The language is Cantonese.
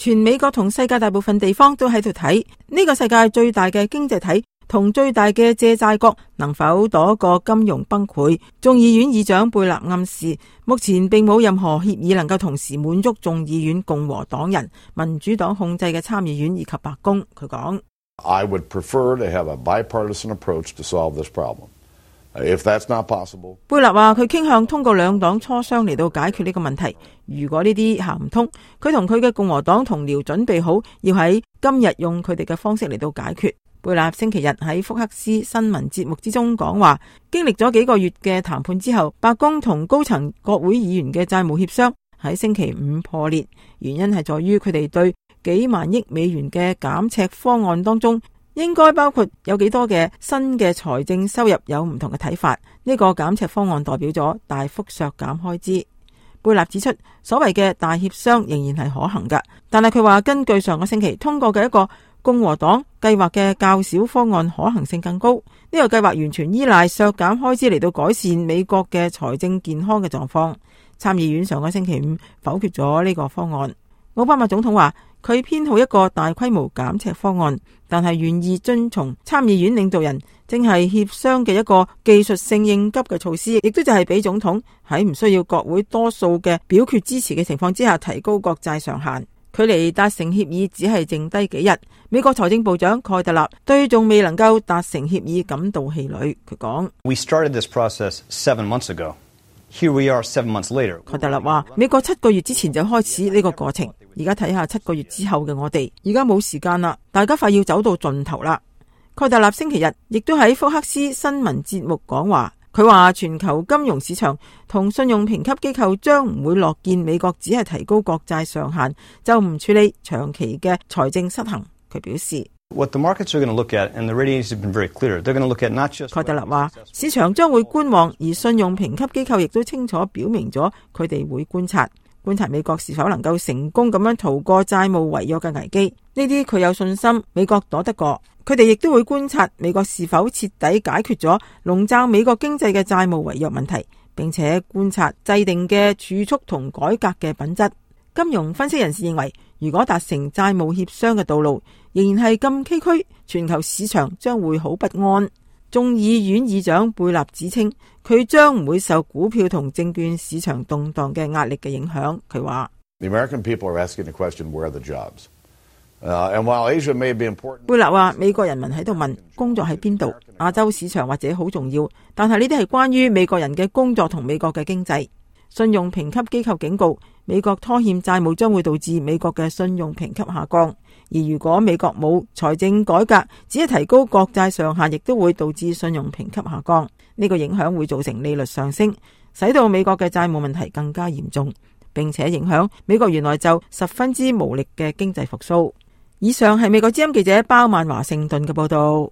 全美國同世界大部分地方都喺度睇呢個世界最大嘅經濟體同最大嘅借債國能否躲過金融崩潰。眾議院議長貝納暗示，目前並冇任何協議能夠同時滿足眾議院共和黨人、民主黨控制嘅參議院以及白宮。佢講：I would prefer to have a bipartisan approach to solve this problem. If that's not possible， 貝納話佢傾向通過兩黨磋商嚟到解決呢個問題。如果呢啲行唔通，佢同佢嘅共和黨同僚準備好要喺今日用佢哋嘅方式嚟到解決。貝納星期日喺福克斯新聞節目之中講話，經歷咗幾個月嘅談判之後，白宮同高層國會議員嘅債務協商喺星期五破裂，原因係在於佢哋對幾萬億美元嘅減赤方案當中應該包括有幾多嘅新嘅財政收入有唔同嘅睇法。呢個減赤方案代表咗大幅削減開支。貝納指出，所謂嘅大協商仍然係可行㗎，但係佢話根據上個星期通過嘅一個共和黨計劃嘅較小方案可行性更高。呢個計劃完全依賴削減開支嚟到改善美國嘅財政健康嘅狀況。參議院上個星期五否決咗呢個方案。奧巴馬總統話佢偏好一個大規模減赤方案，但係願意遵從參議院領導人正係協商嘅一個技術性應急嘅措施，亦都就係俾總統喺唔需要國會多數嘅表決支持嘅情況之下提高國債上限。距離達成協議只係剩低幾日。美國財政部長蓋特納對仲未能夠達成協議感到氣餒。佢講：We started this process 7 months ago. Here we are 7 months later. 蓋特納話：美國7個月之前就開始呢個過程，而家睇下7個月之後嘅我哋，而家冇時間啦，大家快要走到盡頭啦。蓋特納星期日亦都喺福克斯新聞節目講話，佢話全球金融市場同信用評級機構將唔會樂見美國只係提高國債上限，就唔處理長期嘅財政失衡。佢表示：What the markets are going to look at, and the ratings have been very clear. They're going to look at not just。蓋特納話，市場將會觀望，而信用評級機構亦都清楚表明咗，佢哋會觀察美國是否能夠成功咁樣逃過債務違約嘅危機。呢啲佢有信心美國躲得過。佢哋亦都會觀察美國是否徹底解決咗籠罩美國經濟嘅債務違約問題，並且觀察制定嘅儲蓄同改革嘅品質。金融分析人士認為，如果達成債務協商嘅道路仍然係咁崎嶇，全球市場將會好不安。眾議院議長貝納指稱，佢將唔會受股票同證券市場動盪嘅壓力嘅影響。佢話：The American people are asking the question, where are the jobs? And while Asia may be important， 貝納話美國人民喺度問工作喺邊度，亞洲市場或者好重要，但係呢啲係關於美國人嘅工作同美國嘅經濟。信用評級機構警告，美國拖欠債務將會導致美國嘅信用評級下降，而如果美國冇財政改革，只係提高國債上限，亦都會導致信用評級下降。呢個影響會造成利率上升，使到美國嘅債務問題更加嚴重，並且影響美國原來就十分之無力嘅經濟復甦。以上係美國之音記者包曼華盛頓嘅報道。